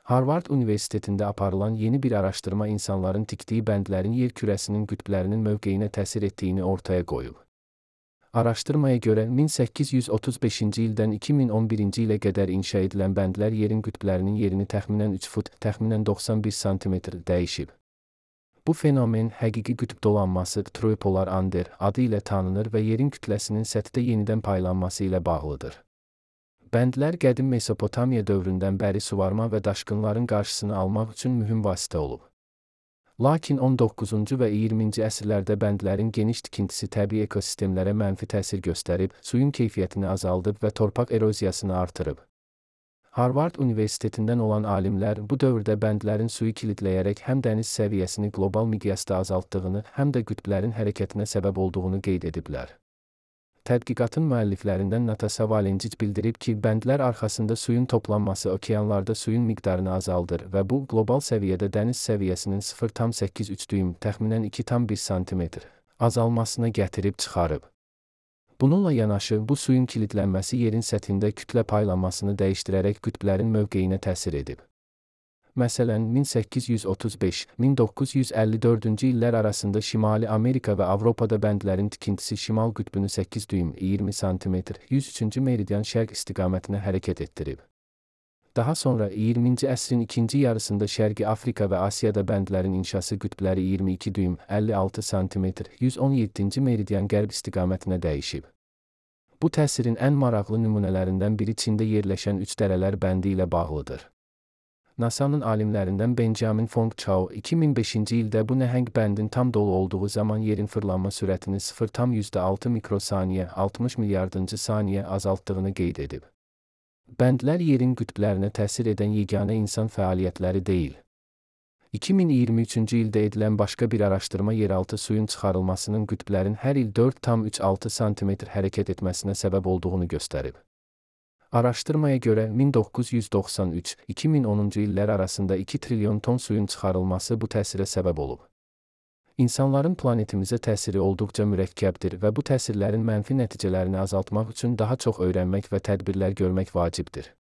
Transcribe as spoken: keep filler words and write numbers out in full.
Harvard Universitetində aparılan yeni bir araşdırma insanların tikdiyi bəndlərin yer kürəsinin qütblərinin mövqeyinə təsir etdiyini ortaya qoyub. Araşdırmaya görə min səkkiz yüz otuz beşinci ildən iki min on birinci ilə qədər inşa edilən bəndlər yerin qütblərinin yerini təxminən üç fut, təxminən doxsan bir santimetr dəyişib. Bu fenomen həqiqi qütb dolanması Tropolar Under adı ilə tanınır və yerin kütləsinin səthdə yenidən paylanması ilə bağlıdır. Bəndlər qədim Mesopotamiya dövründən bəri suvarma və daşqınların qarşısını almaq üçün mühüm vasitə olub. Lakin on doqquzuncu və iyirminci əsrlərdə bəndlərin geniş tikintisi təbii ekosistemlərə mənfi təsir göstərib, suyun keyfiyyətini azaldıb və torpaq eroziyasını artırıb. Harvard Universitetindən olan alimlər bu dövrdə bəndlərin suyu kilidləyərək həm dəniz səviyyəsini qlobal miqyasda azaltdığını, həm də qütblərin hərəkətinə səbəb olduğunu qeyd ediblər. Tədqiqatın müəlliflərindən Natasha Valencic bildirib ki, bəndlər arxasında suyun toplanması okeanlarda suyun miqdarını azaldır və bu, qlobal səviyyədə dəniz səviyyəsinin sıfır tam səkkiz üç düym, təxminən iki tam bir santimetr azalmasına gətirib çıxarıb. Bununla yanaşı, bu suyun kilidlənməsi yerin səthində kütlə paylanmasını dəyişdirərək qütblərin mövqeyinə təsir edib. Məsələn, min səkkiz yüz otuz beş - min doqquz yüz əlli dördüncü illər arasında Şimali Amerika və Avropada bəndlərin tikintisi şimal qütbünü səkkiz düym, iyirmi santimetr, yüz üçüncü meridian şərq istiqamətinə hərəkət etdirib. Daha sonra iyirminci əsrin ikinci yarısında Şərqi Afrika və Asiyada bəndlərin inşası qütbləri iyirmi iki düym, əlli altı santimetr, yüz on yeddinci meridian qərb istiqamətinə dəyişib. Bu təsirin ən maraqlı nümunələrindən biri Çində yerləşən üç dərələr bəndi ilə bağlıdır. NASA'nın alimlərindən Benjamin Fong Chao iki min beşinci ildə bu nəhəng bəndin tam dolu olduğu zaman yerin fırlanma sürətini sıfır tam yüzdə altı mikrosaniyə, altmış milyardıncı saniyə azaltdığını qeyd edib. Bəndlər yerin qütblərinə təsir edən yeganə insan fəaliyyətləri deyil. iki min iyirmi üçüncü ildə edilən başqa bir araşdırma yeraltı suyun çıxarılmasının qütblərin hər il dörd tam üç altı santimetr hərəkət etməsinə səbəb olduğunu göstərib. Araşdırmaya görə min doqquz yüz doxsan üç - iki min onuncu illər arasında iki trilyon ton suyun çıxarılması bu təsirə səbəb olub. İnsanların planetimizə təsiri olduqca mürəkkəbdir və bu təsirlərin mənfi nəticələrini azaltmaq üçün daha çox öyrənmək və tədbirlər görmək vacibdir.